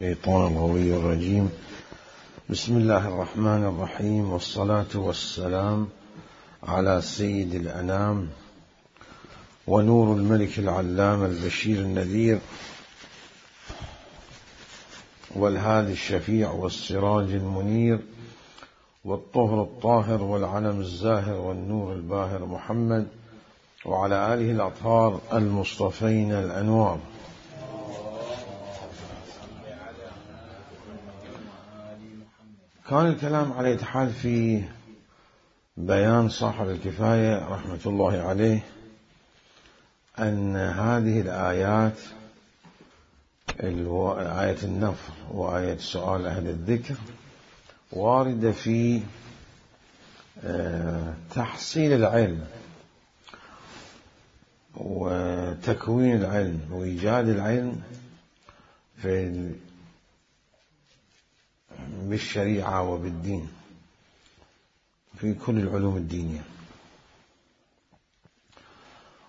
الشيطان الغوي الرجيم. بسم الله الرحمن الرحيم، والصلاة والسلام على سيد الأنام ونور الملك العلام البشير النذير والهادي الشفيع والسراج المنير والطهر الطاهر والعلم الزاهر والنور الباهر محمد وعلى آله الأطهار المصطفين الأنوار. كان الكلام على يتحال في بيان صاحب الكفاية رحمة الله عليه أن هذه الآيات، آية النفر وآية سؤال أهل الذكر، واردة في تحصيل العلم وتكوين العلم وإيجاد العلم بالشريعة وبالدين في كل العلوم الدينية،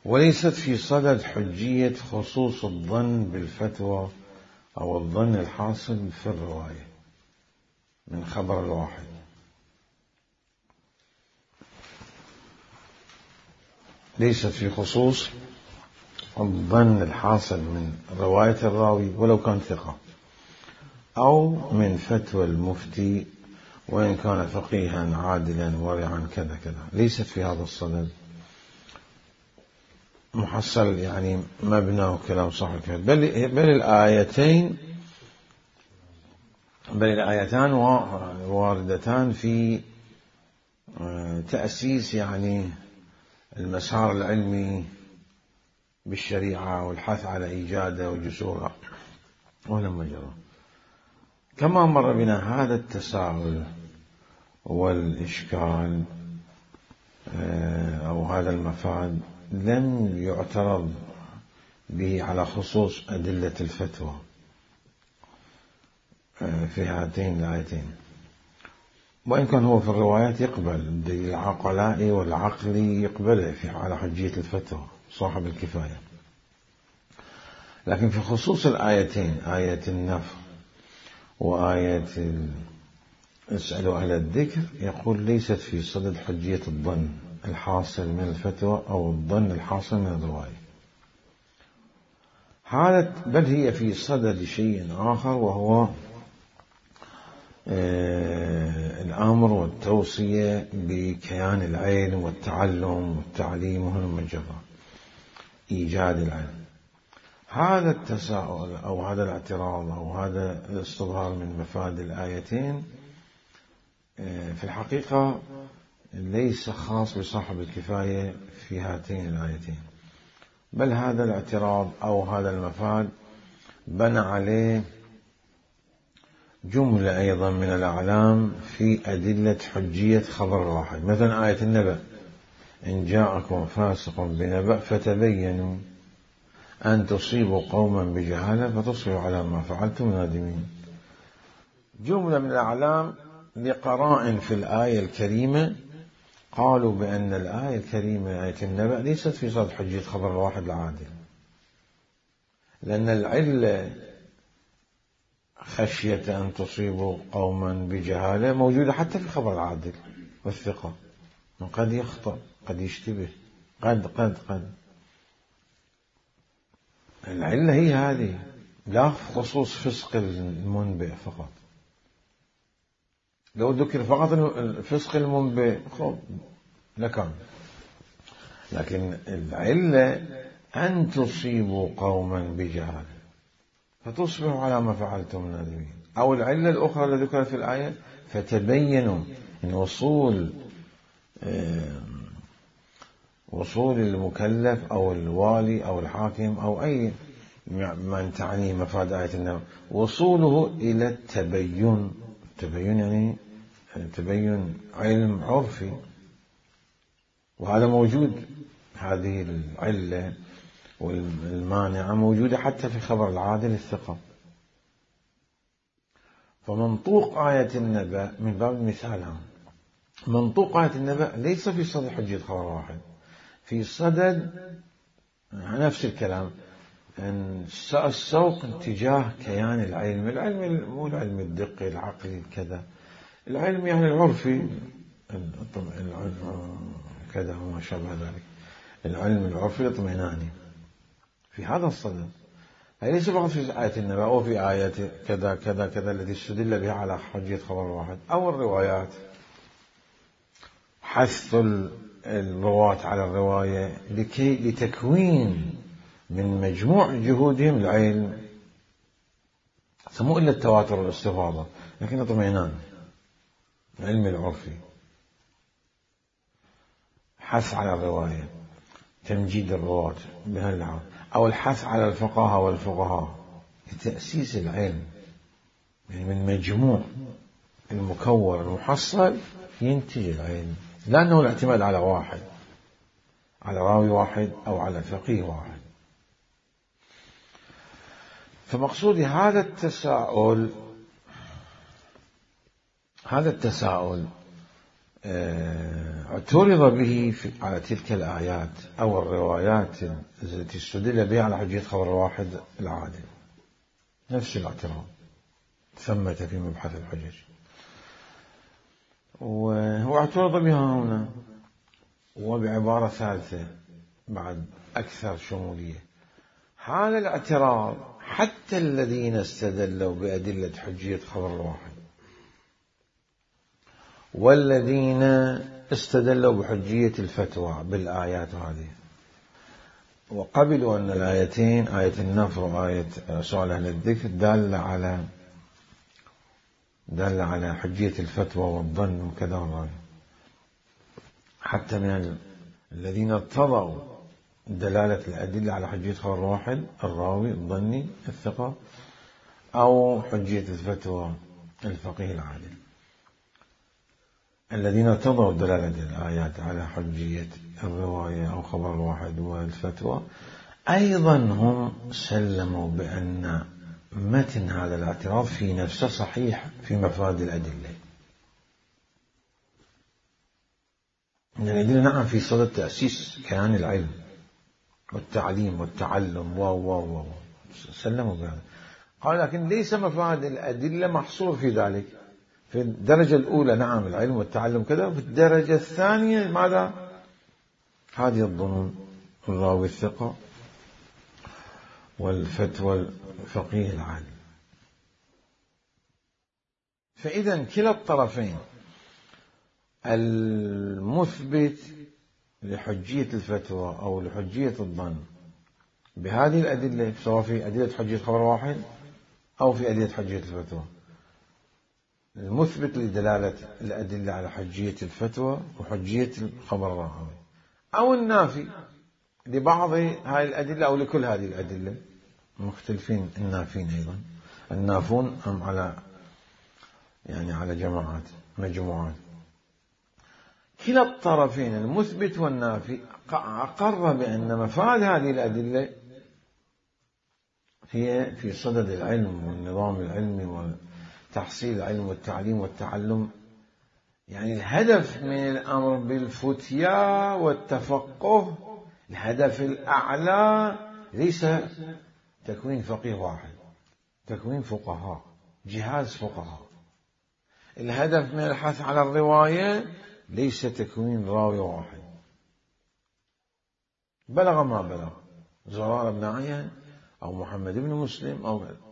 وليست في صدد حجية خصوص الظن بالفتوى أو الظن الحاصل في الرواية من خبر الواحد، ليست في خصوص الظن الحاصل من رواية الراوي ولو كان ثقة، أو من فتوى المفتي وإن كان فقيها عادلا ورعا كذا كذا، ليست في هذا الصدد. محصل يعني مبنى وكلام صاحب بل الآيتان واردتان في تأسيس يعني المسار العلمي بالشريعة والحث على إيجاده وجسوره ولما جرى. كما مر بنا هذا التساؤل والإشكال أو هذا المفاد لم يعترض به على خصوص أدلة الفتوى في هاتين الآيتين، وإن كان هو في الروايات يقبل الدليل العقلائي والعقلي يقبله على حجية الفتوى صاحب الكفاية، لكن في خصوص الآيتين، آية النفر وآية اسألوا أهل الذكر، يقول ليست في صدد حجية الظن الحاصل من الفتوى أو الظن الحاصل من الرواية، بل هي في صدد شيء آخر، وهو الأمر والتوصية بكيان العلم والتعلم والتعليم وهلم جرا، إيجاد العلم. هذا التساؤل أو هذا الاعتراض أو هذا الاستظهار من مفاد الآيتين في الحقيقة ليس خاص بصاحب الكفاية في هاتين الآيتين، بل هذا الاعتراض أو هذا المفاد بنى عليه جملة أيضا من الأعلام في أدلة حجية خبر واحد، مثلا آية النبأ: إن جاءكم فاسق بنبأ فتبينوا أن تصيبوا قوما بجهالة فتصبحوا على ما فعلتم نادمين. جملة من الأعلام لقرائن في الآية الكريمة قالوا بأن الآية الكريمة آية النبأ ليست في صدد حجية خبر الواحد العادل، لأن العلة خشية أن تصيبوا قوما بجهالة موجودة حتى في خبر العادل والثقة، قد يخطأ قد يشتبه قد العلة هي هذه، لا خصوص فسق المنبئ فقط. لو ذكر فقط الفسق المنبئ لكان، لكن العلة أن تصيبوا قوما بجهالة فتصبحوا على ما فعلتم نادمين، أو العلة الأخرى التي ذكرت في الآية فتبينوا، إن وصول المكلف أو الوالي أو الحاكم أو أي من تعني مفاد آية النبأ وصوله إلى التبين يعني تبين علم عرفي، وهذا موجود، هذه العلة والمانعة موجودة حتى في خبر العادل الثقة. فمنطوق آية النبأ من باب المثال، منطوق آية النبأ ليس في صدد حجية خبر واحد، في صدد نفس الكلام أن السوق اتجاه كيان العلم مو العلم الدقي العقلي كذا، العلم يعني العرفي كذا وما شابه ذلك، العلم العرفي الاطمئناني في هذا الصدد. هي ليس فقط في آية النبأ أو في آيات كذا كذا كذا التي استدل بها على حجية خبر واحد، أو الروايات، حث الرواة على الرواية لتكوين من مجموع جهودهم العلم، مو إلا التواتر والاستفاضة، لكن اطمئنان، علم العرفي، حث على الرواية، تمجيد الرواة بهاللحاظ، أو الحث على الفقهاء والفقهاء لتأسيس العلم، يعني من مجموع المكون المحصل ينتج العلم، لا أنه الاعتماد على واحد، على راوي واحد أو على فقيه واحد. فمقصودي هذا التساؤل اعترض به على تلك الآيات أو الروايات التي استدل بها على حجية خبر واحد العادل، نفس الاعتراض ثمة في مبحث الحجج، وهو اعترض بها هنا وبعبارة ثالثة بعد أكثر شمولية. هذا الاعتراض حتى الذين استدلوا بأدلة حجية خبر الواحد والذين استدلوا بحجية الفتوى بالآيات هذه وقبلوا أن الآيتين، آية النفر وآية سؤال أهل الذكر، دالة على حجية الفتوى والظن وكذا والرأي، حتى من الذين ارتضوا دلالة الأدلة على حجية خبر الواحد، الراوي الظني الثقة، أو حجية الفتوى الفقيه العادل. الذين ارتضوا دلالة الآيات على حجية الرواية أو خبر الواحد والفتوى أيضا هم سلموا بأن متن هذا الاعتراض في نفسه صحيح في مفاد الأدلة. إن الأدلة نعم في صدد تأسيس كيان العلم والتعليم والتعلم سلموا بهذا. قال لكن ليس مفاد الأدلة محصور في ذلك. في الدرجة الأولى نعم العلم والتعلم كذا، وفي الدرجة الثانية ماذا؟ هذه الظنون، الراوي الثقة والفتوى الفقيه العالم. فإذا كلا الطرفين، المثبت لحجية الفتوى أو لحجية الظن بهذه الأدلة، سواء في أدلة حجية خبر واحد أو في أدلة حجية الفتوى، المثبت لدلالة الأدلة على حجية الفتوى وحجية الخبر الراوي، أو النافي لبعض هذه الأدلة أو لكل هذه الأدلة، مختلفين النافين أيضا، النافون هم على جماعات مجموعات. كلا الطرفين المثبت والنافي أقر بأن مفاد هذه الأدلة هي في صدد العلم والنظام العلمي وتحصيل العلم والتعليم والتعلم، يعني الهدف من الأمر بالفتيا والتفقه، الهدف الأعلى ليس تكوين فقيه واحد، تكوين فقهاء، جهاز فقهاء. الهدف من الحث على الرواية ليس تكوين راوي واحد بلغ ما بلغ، زرار بن عيان أو محمد بن مسلم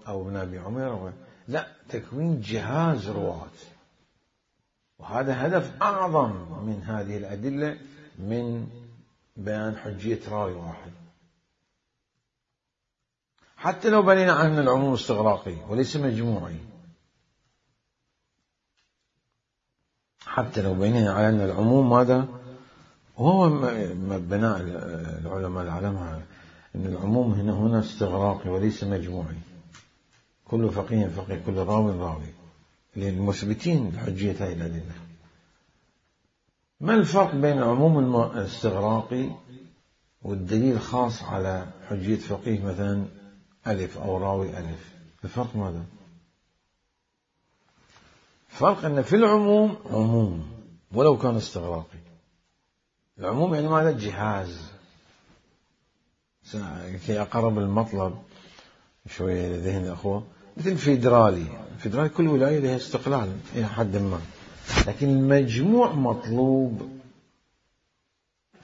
أو ابن أبي عمير، لا، تكوين جهاز رواة. وهذا هدف أعظم من هذه الأدلة من بيان حجية راوي واحد، حتى لو بنينا عنه العموم استغراقي وليس مجموعي، حتى لو بنينا عنه العموم ماذا وهو بناء العلماء العلماء أن العموم هنا استغراقي وليس مجموعي، كل فقيه فقيه، كل راوي للمثبتين لحجية هذه الأدلة. ما الفرق بين العموم الاستغراقي والدليل الخاص على حجية فقيه مثلا ألف أو راوي ألف؟ الفرق ماذا؟ فرق أن في العموم عموم ولو كان استغراقي. العموم يعني ماذا؟ جهاز كي أقرب المطلب شوية لذهن الأخوة، مثل فيدرالي كل ولاية لها استقلال إلى حد ما، لكن المجموع مطلوب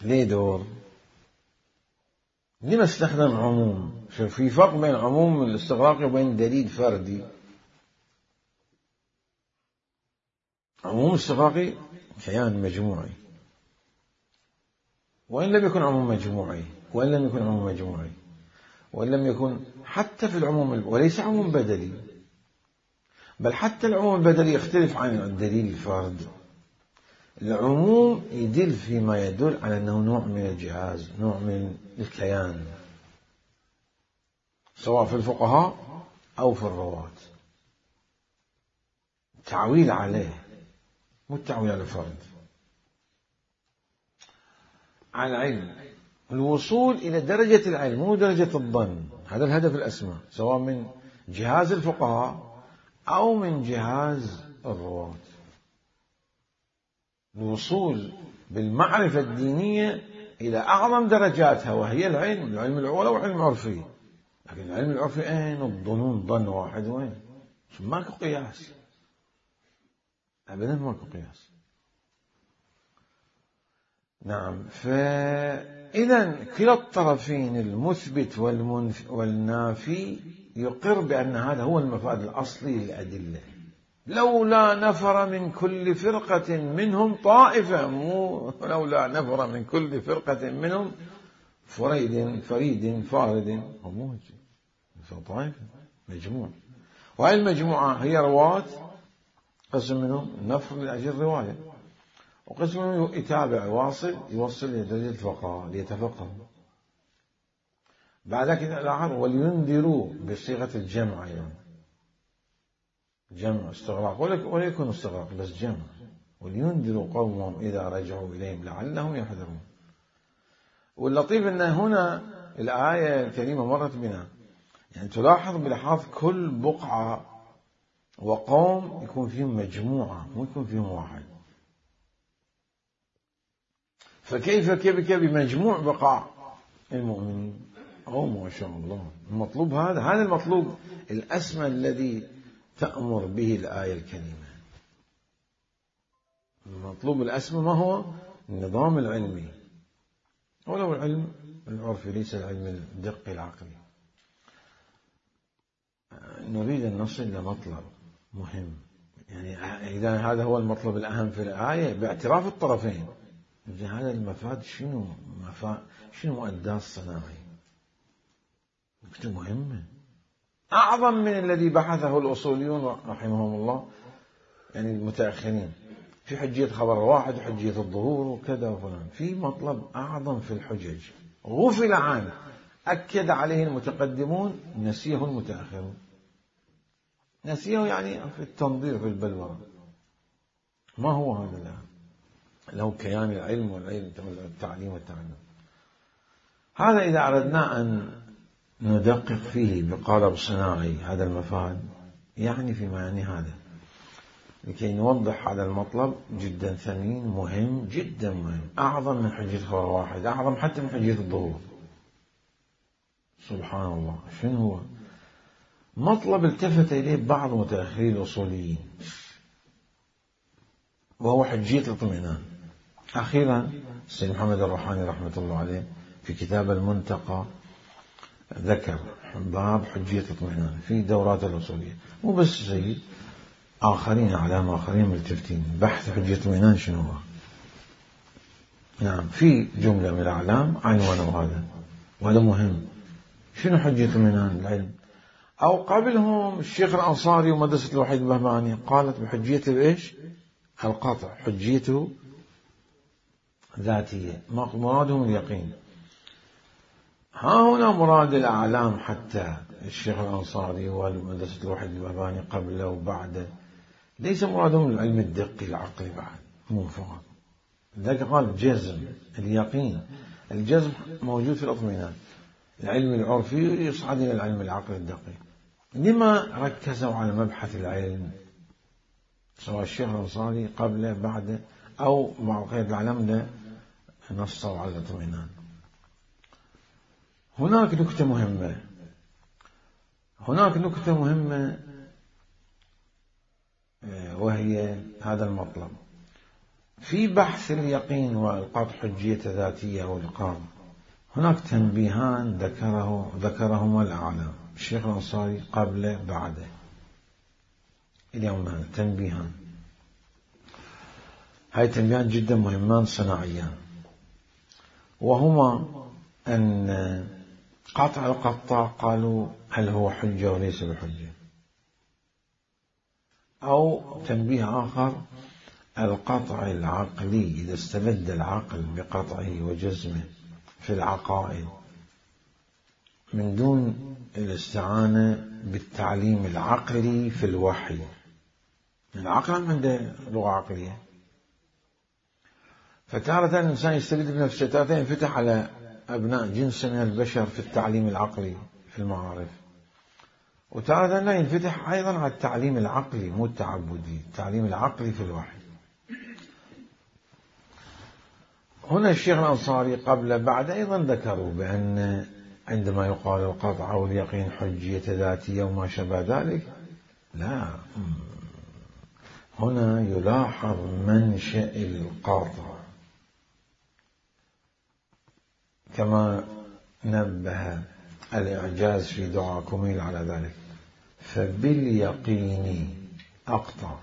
ليه دور. لما استخدم عموم؟ شوف في فرق بين عموم الاستغراقي وبين دليل فردي. عموم الاستغراقي كيان مجموعي، وإن لم يكن عموم مجموعي، وإن لم يكن حتى في العموم، وليس عموم بدلي، بل حتى العموم البدلي يختلف عن الدليل الفردي. العموم يدل فيما يدل على أنه نوع من الجهاز، نوع من الكيان، سواء في الفقهاء أو في الرواة. تعويل عليه، مو التعويل على الفرد. على العلم، الوصول إلى درجة العلم مو درجة الظن، هذا الهدف الأسمى، سواء من جهاز الفقهاء أو من جهاز الرواة. الوصول بالمعرفة الدينية إلى أعظم درجاتها، وهي العلم الأول وعلم عرفي. لكن العلم العرفي أين؟ الظنون ظن واحد، وين؟ ماكو قياس، أبدا ماكو قياس. نعم، فإذا كلا الطرفين المثبت والنافي يقر بأن هذا هو المفاد الأصلي للأدلة. لولا نفر من كل فرقة منهم طائفة، مو لولا نفر من كل فرقة منهم فريد فارد، مو طائفة، مجموعة. وهي المجموعة هي رواة، قسم منهم نفر لأجل الرواية، وقسم منهم يتابع يوصل إلى درجة الفقهاء ليتفقه. بعد كده الآخر ولينذروا بصيغة الجمع، يعني جمع استغراق، ولا يكون استغراق بس جمع. ولينذروا قومهم إذا رجعوا إليهم لعلهم يحذرون. واللطيف أن هنا الآية الكريمة مرت بنا، يعني تلاحظ بلحاظ كل بقعة وقوم يكون فيهم مجموعة، مو يكون فيهم واحد. فكيف بمجموع بقاع المؤمنين؟ ما شاء الله. المطلوب هذا المطلوب الأسمى الذي تأمر به الآية الكريمة. المطلوب الأسمى ما هو؟ النظام العلمي، ولو العلم العرفي، ليس العلم الدقي العقلي. نريد أن نصل لمطلب مهم، يعني إذا هذا هو المطلب الأهم في الآية باعتراف الطرفين، هذا المفاد شنو مؤداه الصناعي؟ نكتة مهمة أعظم من الذي بحثه الأصوليون رحمهم الله، يعني المتأخرين، في حجية خبر واحد وحجية الظهور وكذا وفلان. في مطلب أعظم في الحجج غفل عنه، أكد عليه المتقدمون، نسيه المتأخرون. نسيه يعني في التنظير في البلورة. ما هو هذا الآن؟ له كيان العلم والتعليم والتعلم. هذا إذا أردنا أن ندقق فيه بقالب صناعي هذا المفاد، يعني في معنى هذا، لكي نوضح هذا المطلب جدا ثمين، مهم جدا مهم، أعظم من حجية خبر واحد، أعظم حتى من حجية الظهور. سبحان الله. شنو هو؟ مطلب التفت إليه بعض متأخري الأصوليين، وهو حجية الاطمئنان. أخيرا السيد محمد الروحاني رحمة الله عليه في كتاب المنتقى ذكر باب حجية الاطمئنان في دورات الأصولية. مو بس سيد، أعلام آخرين ملتفتين بحث حجية الاطمئنان شنو هو. نعم، في جملة من الأعلام عنوانه هذا، وهذا مهم. شنو حجية الاطمئنان؟ العلم. أو قبلهم الشيخ الأنصاري ومدرسة الوحيد البهبهاني قالت بحجية الإيش؟ القطع، حجيته ذاتية، مرادهم اليقين. ها هنا مراد الأعلام، حتى الشيخ الأنصاري ومدرسة الوحيد البهبهاني قبله وبعده ليس مرادهم العلم الدقي العقلي بعد، مو فقط. لذلك قال جزم، اليقين، الجزم موجود في الاطمئنان. العلم العرفي يصعد إلى العلم العقلي الدقيق. لما ركزوا على مبحث العلم، سواء الشيخ الأنصاري قبله بعده أو مع غير العلم، نصوا على الاطمئنان. هناك نكتة مهمة وهي هذا المطلب في بحث اليقين وإلقاط حجية ذاتية والإقامة. هناك تنبيهان ذكرهما الأعلام الشيخ الأنصاري قبل بعده اليوم. هذا تنبيهان، هاي تنبيهان جدا مهمان صناعيان، وهما أن قطع القطاع قالوا هل هو حجة وليس بحجة، أو تنبيه آخر القطع العقلي إذا استبد العقل بقطعه وجزمه في العقائد من دون الاستعانة بالتعليم العقلي في الوحي. العقل عنده لغة عقلية، فتارة الإنسان يستبد بنفسه، تارة ينفتح على أبناء جنس من البشر في التعليم العقلي في المعارف، وتارة لا ينفتح أيضا على التعليم العقلي مو التعبدي، التعليم العقلي في الوحي. هنا الشيخ الأنصاري قبل بعد أيضا ذكروا بأن عندما يقال القطع أو اليقين حجية ذاتية وما شابه ذلك، لا، هنا يلاحظ منشأ القاطع كما نبه الإعجاز في دعاء كميل على ذلك. فباليقين أقطع.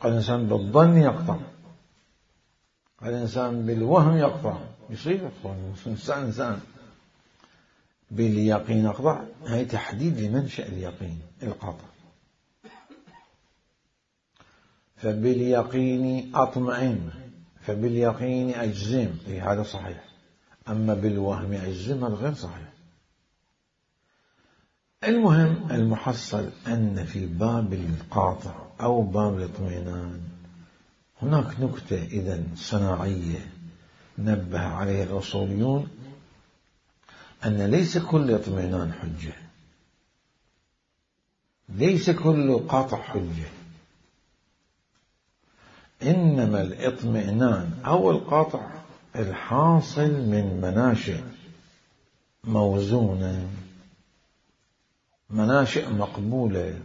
الإنسان بالظن يقطع، الإنسان بالوهم يقطع، يصير إنسان باليقين أقطع. هي تحديد لمنشأ اليقين القطع. فباليقين أطمئن، فباليقين أجزم، هذا صحيح. أما بالوهم أجزم هذا غير صحيح. المهم المحصل أن في باب القاطع أو باب الاطمئنان هناك نكتة إذن صناعية نبه عليها الأصوليون، أن ليس كل اطمئنان حجة، ليس كل قاطع حجة، إنما الاطمئنان أو القاطع الحاصل من مناشئ موزونة، مناشئ مقبولة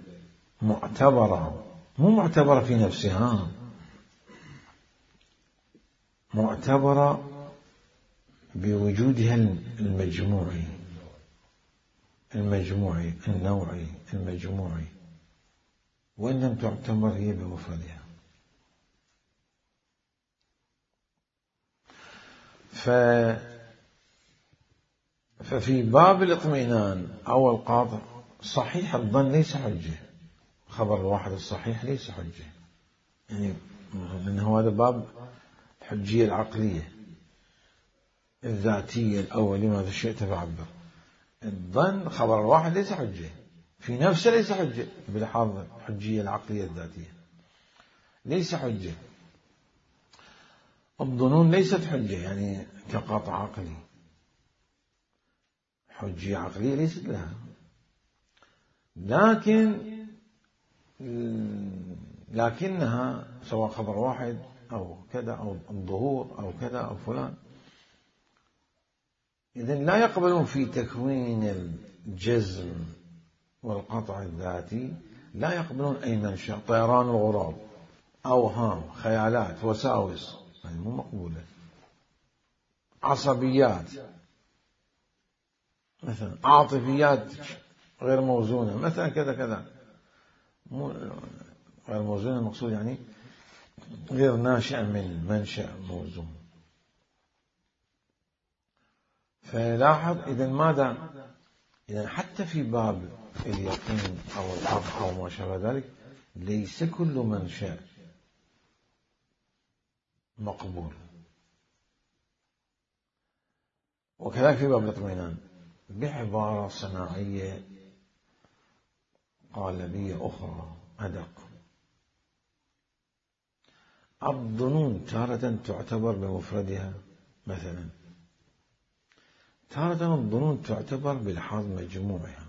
معتبرة، مو معتبرة في نفسها، معتبرة بوجودها المجموعي النوعي المجموعي، وإن لم تعتبر هي بمفردها. ففي باب الاطمئنان أو القاطع صحيح الظن ليس حجة، خبر الواحد الصحيح ليس حجة، يعني لأنه هذا باب الحجية العقلية الذاتية الأولية، ماذا شئت فعبر. الظن خبر الواحد ليس حجة في نفسه، ليس حجة بلحاظ الحجية العقلية الذاتية، ليس حجة. الظنون ليست حجة يعني كقطع عقلي، حجية عقلية ليست لها، لكنها سواء خبر واحد أو كذا أو الظهور أو كذا أو فلان، إذن لا يقبلون في تكوين الجزم والقطع الذاتي، لا يقبلون أي منشأ، طيران الغراب، أوهام، خيالات، وساوس، يعني مو مقبولة. عصبيات مثلا، عاطفيات غير موزونة مثلا، كذا كذا، مو غير موزونة المقصود يعني غير ناشئة من منشأ موزون. فلاحظ إذن ماذا؟ إذن حتى في باب اليقين أو القطع أو ما شابه ذلك ليس كل منشأ مقبول. وكذلك في باب الاطمئنان بعبارة صناعية قالبية أخرى أدق، الظنون تارة تعتبر بمفردها مثلا، تارة الظنون تعتبر بلحاظ مجموعها.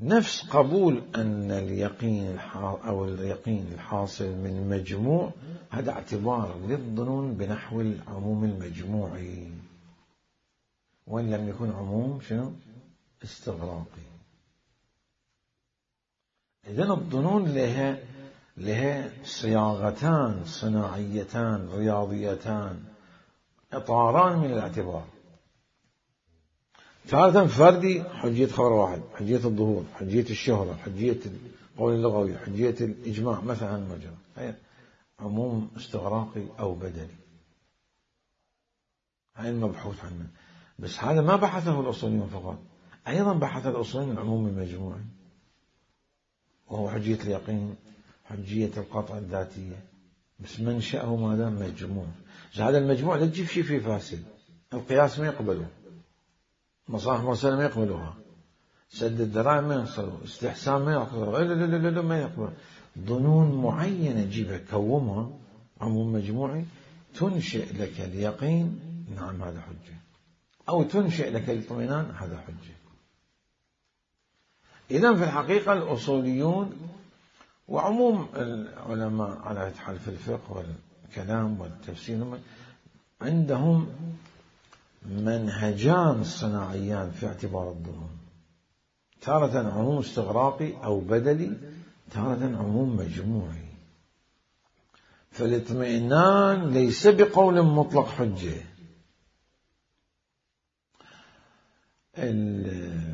نفس قبول أن اليقين أو اليقين الحاصل من مجموع، هذا اعتبار للظنون بنحو العموم المجموعي، وإن لم يكن عموم شنو؟ استغراقي. إذن الظنون لها صياغتان صناعيتان رياضيتان، إطاران من الاعتبار. تارة فردي، حجية خبر واحد، حجية الظهور، حجية الشهرة، حجية القول اللغوي، حجية الإجماع مثلا مجرى، هي عموم استغراقي أو بدلي، هاي المبحوث عنه. بس هذا ما بحثه الأصوليون فقط، أيضا بحث الأصوليون العموم المجموعي، وهو حجية اليقين، حجية القطع الذاتية، بس منشأه ماذا؟ مجموع. هذا المجموع لا تجيب شيء فيه فاسد، القياس ما يقبله، مصالح مرسلة ما يقبلوها، سد الذرائع ما يقبلوها، استحسان ما يقبلوها، لا ما يقبلوها. ظنون معينة جيبها كومها عموم مجموعي، تنشئ لك اليقين، نعم هذا حجة، أو تنشئ لك الاطمئنان، هذا حجة. إذن في الحقيقة الأصوليون وعموم العلماء على حال في الفقه والكلام والتفسير عندهم منهجان صناعيان في اعتبار الظنون، تارة عموم استغراقي أو بدلي، تارة عموم مجموعي. فالاطمئنان ليس بقول مطلق حجة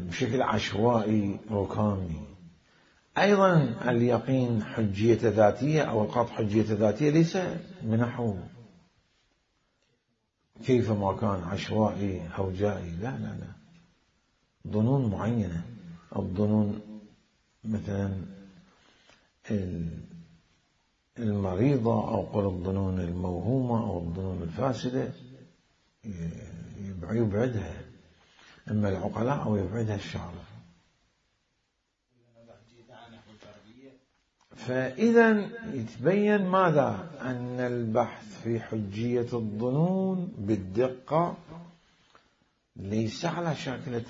بشكل عشوائي ركامي. أيضا اليقين حجية ذاتية أو القطع حجية ذاتية ليس بنحو كيفما كان عشوائي هوجائي، لا، ظنون معينة. الظنون مثلا المريضة، أو قل الظنون الموهومة أو الظنون الفاسدة يبعدها إما العقلاء أو يبعدها الشعراء. فإذا يتبين ماذا؟ أن البحث في حجية الظنون بالدقة ليس على شاكلة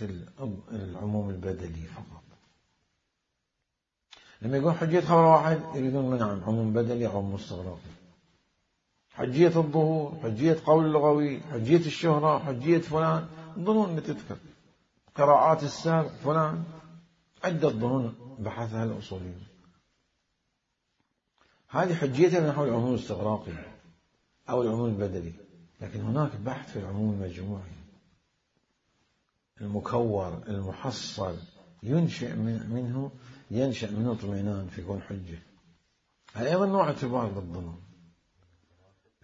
العموم البدلي فقط. لما يقول حجية خبر واحد يريدون منعا عموم بدلي أو عموم استغراقي، حجية الظهور، حجية قول اللغوي، حجية الشهرة، حجية فلان، ظنون اللي تذكر قراءات السابق فلان، عدة ظنون بحثها الأصوليون، هذه حجيتها من نحو العموم الاستغراقي أو العموم البدلي. لكن هناك بحث في العموم المجموعي المكور المحصل، ينشأ منه اطمئنان فيكون حجة. هذا أيضا نوع اعتبار بالظنون.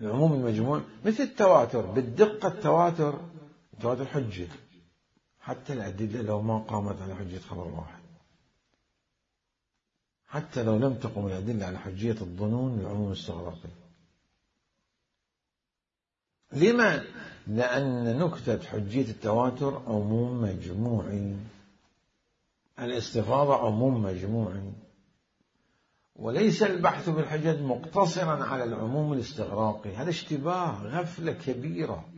العموم المجموعي مثل التواتر، بالدقة التواتر حجة، حتى الأدلة لو ما قامت على حجية خبر واحد، حتى لو لم تقم الأدلة على حجية الظنون العموم الاستغراقي. لما؟ لأن نكتة حجية التواتر عموم مجموعي، الاستفاضة عموم مجموعي، وليس البحث بالحجج مقتصرا على العموم الاستغراقي. هذا اشتباه، غفلة كبيرة،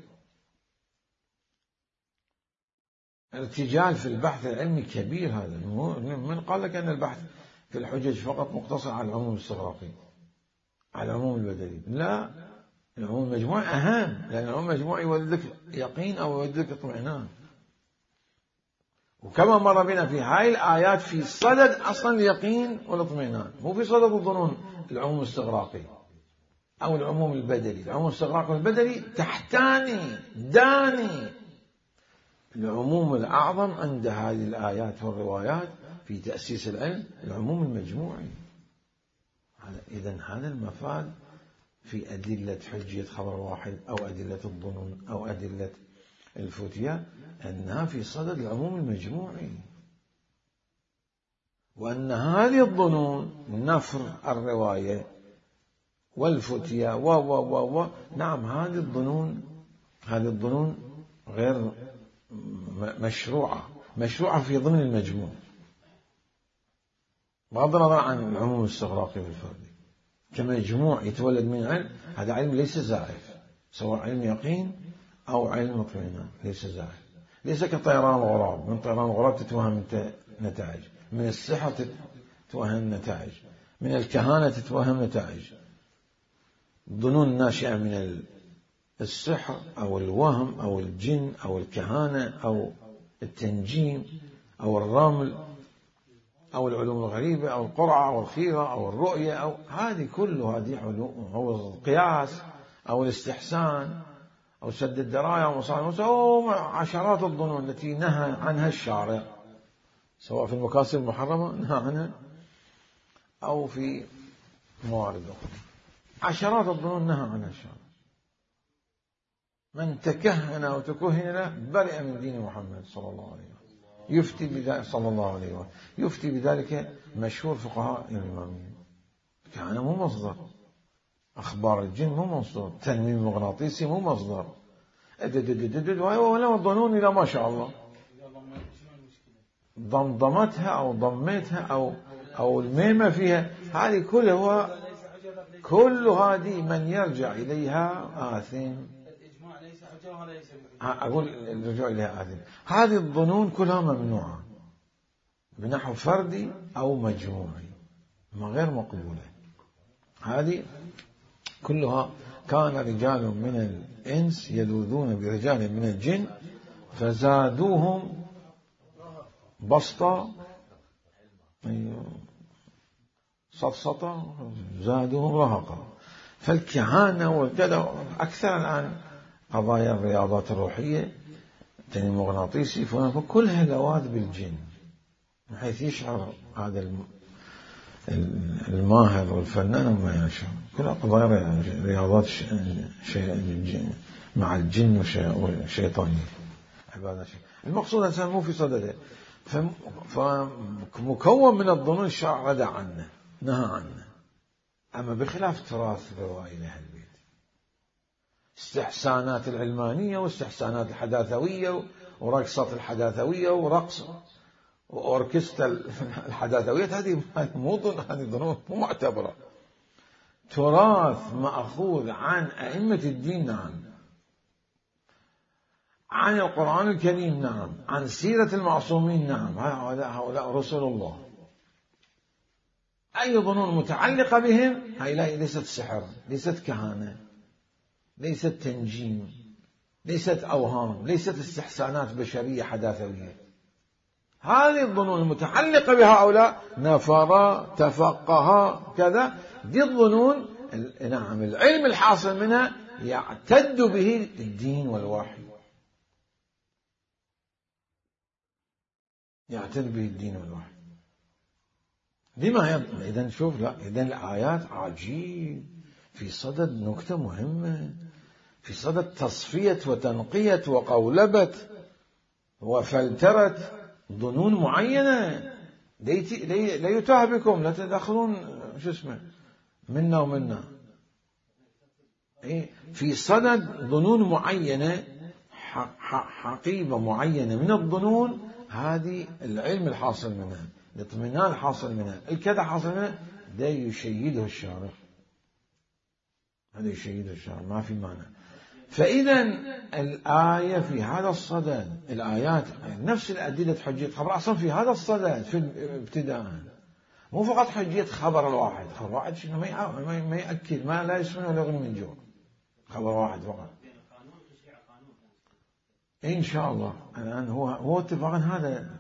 ارتجال في البحث العلمي كبير. هذا من قال لك أن البحث في الحجج فقط مقتصر على العموم الاستغراقي، على العموم البدلي؟ لا، العموم المجموعي أهم، لأن العموم المجموعي يولد لك يقين أو يولد لك اطمئنان. وكما مر بنا في هاي الآيات في صدد أصلا اليقين والاطمئنان، مو في صدد الظنون العموم الاستغراقي أو العموم البدلي. العموم الاستغراقي والبدلي تحتاني داني العموم الأعظم عند هذه الآيات والروايات في تأسيس العلم، العموم المجموعي. إذن هذا المفاد في أدلة حجية خبر واحد أو أدلة الظنون أو أدلة الفتية، أنها في صدد العموم المجموعي، وأن هذه الظنون نفر الرواية والفتية نعم هذه الظنون غير مشروعة في ضمن المجموع، بغض النظر عن العموم الاستغراقي والفردي. كمجموع يتولد من علم، هذا علم ليس زائف، سواء علم يقين أو علم اطمئنان، ليس زائف، ليس كطيران الغراب. من طيران الغراب تتوهم أنت نتائج، من السحر تتوهم نتائج، من الكهانة تتوهم نتائج. الظنون الناشئة من السحر أو الوهم أو الجن أو الكهانة أو التنجيم أو الرمل أو العلوم الغريبة أو القرعة أو الخيرة أو الرؤية أو هذه كلها هذه علوم، أو القياس أو الاستحسان أو سد الدراية أو مصالح أو عشرات الظنون التي نهى عنها الشارع، سواء في المكاسب المحرمة نهى عنها أو في موارد أخرى. عشرات الظنون نهى عنها الشارع. من تكهن أو تكهن له برئ من دين محمد صلى الله عليه وسلم. يفتي بذلك صلى الله عليه وسلم، يفتي بذلك مشهور فقهاء الإمامية. كان مو مصدر، أخبار الجن مو مصدر، تنويم المغناطيسي مو مصدر، ولا الظنون إلى ما شاء الله ضمضمتها أو ضميتها أو الميمة فيها، هذه كل هذه من يرجع إليها آثم. أقول الرجوع إليها آثم. هذه الظنون كلها ممنوعة بنحو فردي أو مجموعي، ما غير مقبولة. هذه كلها كان رجال من الإنس يلوذون برجال من الجن فزادوهم بسطة سطسطة زادوهم رهقا. فالكهانة وكذا أكثر الآن قضايا الرياضات الروحية التنويم المغناطيسي كلها لواذ بالجن، بحيث يشعر هذا الماهر والفنان وما يشعر. كلها قضايا رياضات مع الجن والشيطانية عبادة. المقصود الإنسان مو في صدده، فمكون من الظنون الشرع ردع عنه نهى عنه. أما بخلاف تراث روائي أهل البيت، استحسانات العلمانية واستحسانات الحداثوية ورقصة الحداثوية ورقص وأوركسترا الحداثوية، هذه ظنون مو معتبرة. تراث مأخوذ عن أئمة الدين، نعم، عن القرآن الكريم، نعم، عن سيرة المعصومين، نعم، هؤلاء رسل الله. أي ظنون متعلقة بهم هؤلاء ليست سحر، ليست كهانة، ليست تنجيم، ليست أوهام، ليست استحسانات بشرية حداثوية. هذه الظنون المتعلقة بهؤلاء نفر تفقه كذا، دي الظنون نعم العلم الحاصل منها يعتد به الدين والوحي، يعتد به الدين والوحي. لما إذن شوف، لا إذن الآيات عجيب في صدد نكتة مهمة، في صدد تصفية وتنقية وقولبة وفلترة ظنون معينة. لا يتاه بكم، لا تدخلون شو اسمه منا ومنا. في صدد ظنون معينة، حقيبة معينة من الظنون، هذه العلم الحاصل منها، الاطمئنان الحاصل منها، الكذا حاصل منها، ده يشيده الشارع، هذا يشيده الشارع، ما في معنى. فإذا الآية في هذا الصدد، الآيات نفس الأدلة حجية خبر أصلا في هذا الصدد في ابتداء، مو فقط حجية خبر الواحد. خبر واحد شنو ما يأكد، ما لا يسمن ولا يغني من جوع، خبر واحد فقط. إن شاء الله الآن هو اتفاقا هذا،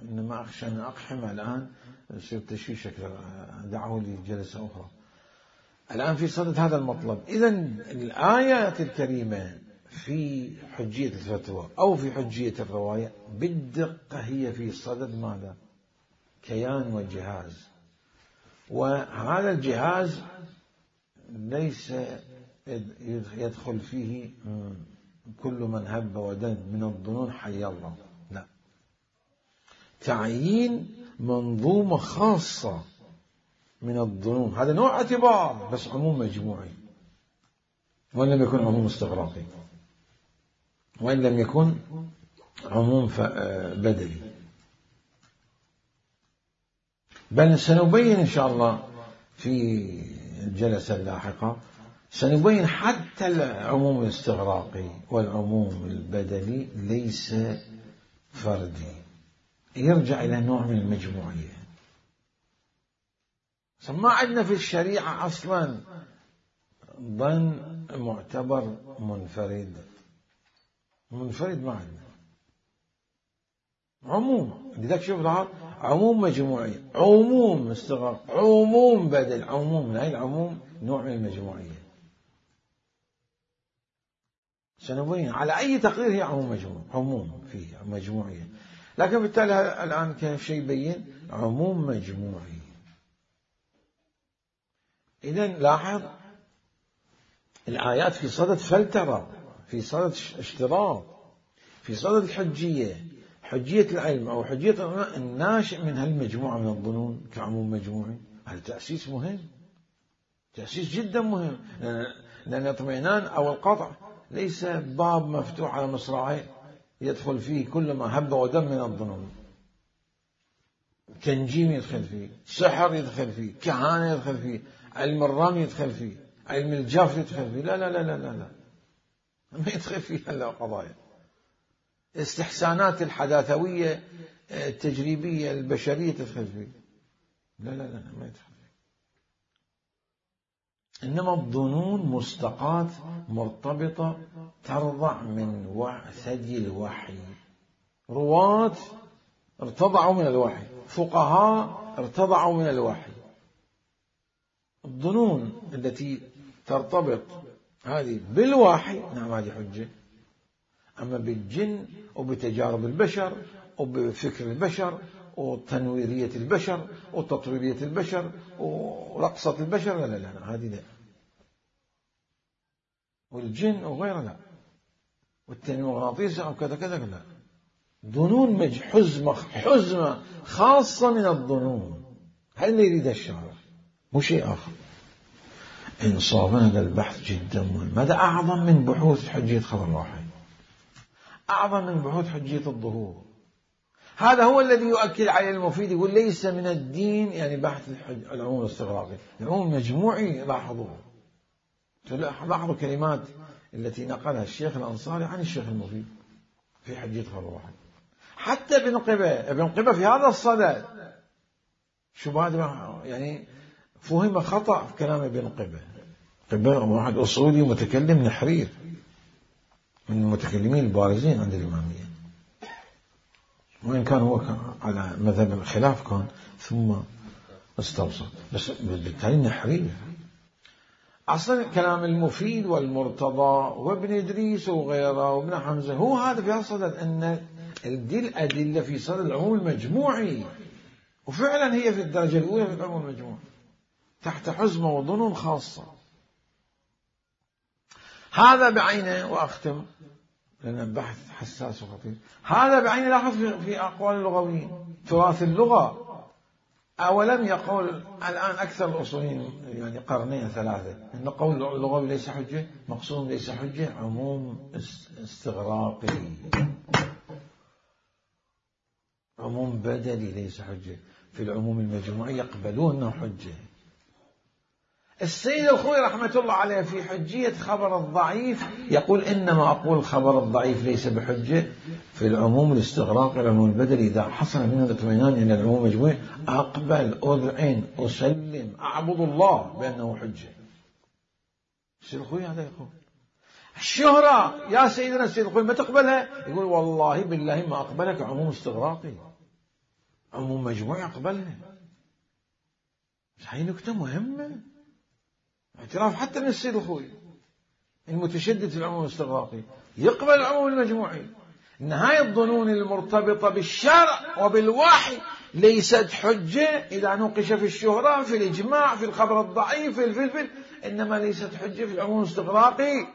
إنما أخشى أن أقحم الآن يصير تشويش أكثر، دعوا لي جلسة أخرى. الآن في صدد هذا المطلب. إذن الآيات الكريمة في حجية الفتوى أو في حجية الرواية بالدقة هي في صدد ماذا؟ كيان وجهاز، وهذا الجهاز ليس يدخل فيه كل من هب ودن من الظنون حي الله، لا، تعيين منظومة خاصة من الظنون، هذا نوع اعتبار بس عموم مجموعي، وإن لم يكن عموم استغراقي، وإن لم يكن عموم بدلي. بل سنبين إن شاء الله في الجلسة اللاحقة، سنبين حتى العموم الاستغراقي والعموم البدلي ليس فردي، يرجع إلى نوع من المجموعية. ما عندنا في الشريعة أصلا ظن معتبر منفرد ما عندنا. عموم لذلك شوف عموم مجموعي، عموم استغراق، عموم بدل، عموم. هاي العموم نوع من المجموعية. سنبين على أي تقدير هي عموم فيه مجموعية، لكن بالتالي الآن كيف شيء يبين عموم مجموعي. إذن لاحظ الآيات في صدد فلترة، في صدد اشتراط، في صدد الحجية، حجية العلم أو حجية الناشئ من هالمجموعة من الظنون كعموم مجموعي. هذا تأسيس مهم، تأسيس جدا مهم، لأن الاطمئنان أو القطع ليس باب مفتوح على مصراعيه يدخل فيه كل ما هب ودم من الظنون. تنجيم يدخل فيه، سحر يدخل فيه، كهانة يدخل فيه، علم الرمي يدخل فيه، علم الجاف يدخل فيه. لا لا لا لا لا, لا. ما يدخل فيه إلا قضايا استحسانات الحداثوية التجريبية البشرية تدخل فيه. لا لا لا ما يدخل فيه. إنما الظنون مستقاة مرتبطة ترضع من ثدي الوحي. رواة ارتضعوا من الوحي، فقهاء ارتضعوا من الوحي. الظنون التي ترتبط هذه بالوحي نعم هذه حجة. أما بالجن وبتجارب البشر وبفكر البشر وتنويرية البشر وتطويرية البشر ورقصة البشر لا لا لا هذه لا. والجن وغيرها لا. والتنوير المغناطيسي أو كذا كذا لا. ظنون حزمة خاصة من الظنون. هل اللي يريد الشارع مو شيء آخر. إنصافا هذا البحث جدا مهم. هذا أعظم من بحوث حجية خبر الواحد، أعظم من بحوث حجية الظهور. هذا هو الذي يؤكد عليه المفيد، يقول ليس من الدين يعني بحث العموم الاستغراقي، العموم المجموعي. لاحظوا كلمات التي نقلها الشيخ الأنصاري عن الشيخ المفيد في حجية خبر الواحد. حتى ابن قبة في هذا الصدد شو بعد يعني فهم خطأ في كلام ابن قبة واحد أصولي متكلم نحرير من المتكلمين البارزين عند الإمامية، وإن كان هو على مذهب الخلاف كان ثم استوصل، بس بالتالي نحرير. أصلا كلام المفيد والمرتضى وابن إدريس وغيره وابن حمزة هو هذا في الصدد أن دي الأدلة في صدد العموم المجموعي، وفعلا هي في الدرجة الأولى في العموم المجموعي تحت حزمة وظنون خاصة. هذا بعينه، وأختم لأن البحث حساس وخطير، هذا بعينه لاحظ في أقوال اللغويين تراث اللغة. أولم يقول الآن أكثر الأصوليين يعني قرنين ثلاثة أن قول اللغوي ليس حجة، مقصود ليس حجة، عموم استغراقي، عموم بدلي ليس حجة. في العموم المجموعي يقبلون أنه حجة. السيد الخوي رحمة الله عليه في حجية خبر الضعيف يقول إنما أقول الخبر الضعيف ليس بحجة في العموم الاستغراقي العموم البدلي إذا حصل منه الاطمئنان إلى العموم المجموعي أقبل أذعن أسلم أعبد الله بأنه حجة. السيد الخوي هذا يقول. الشهرة يا سيدنا السيد الخوي ما تقبلها؟ يقول والله بالله ما أقبلك عموم استغراقي، عموم مجموعي أقبلها. هاي نكتة مهمة، اعتراف حتى من السيد الخوي المتشدد في العموم الاستغراقي يقبل العموم المجموعي. إن هاي الظنون المرتبطة بالشرع وبالوحي ليست حجة إذا نوقش في الشهرة في الإجماع في الخبر الضعيف في الفلفل، إنما ليست حجة في العموم الاستغراقي.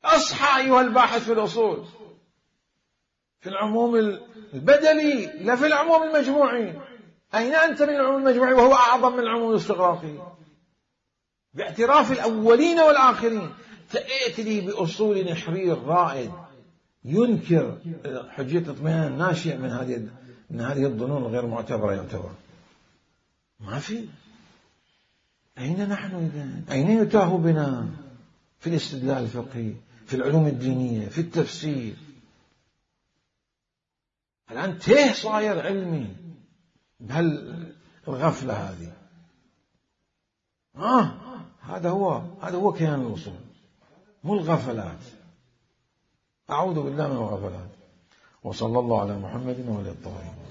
أصحى أيها الباحث في الأصول في العموم البدلي لا في العموم المجموعي. أين أنت من العموم المجموعي وهو أعظم من العموم الاستغراقي؟ باعتراف الأولين والآخرين تأتي لي بأصول نحرير رائد ينكر حجية الاطمئنان الناشئ من هذه الظنون الغير معتبرة. يعتبر ما في. أين نحن إذن؟ أين يتاه بنا في الاستدلال الفقهي في العلوم الدينية في التفسير؟ الآن تيه صاير علمي بهالغفلة هذه. هذا هو كيان الوصول، مو الغفلات. أعوذ بالله من الغفلات. وصلى الله على محمد وعلى الطاهرين.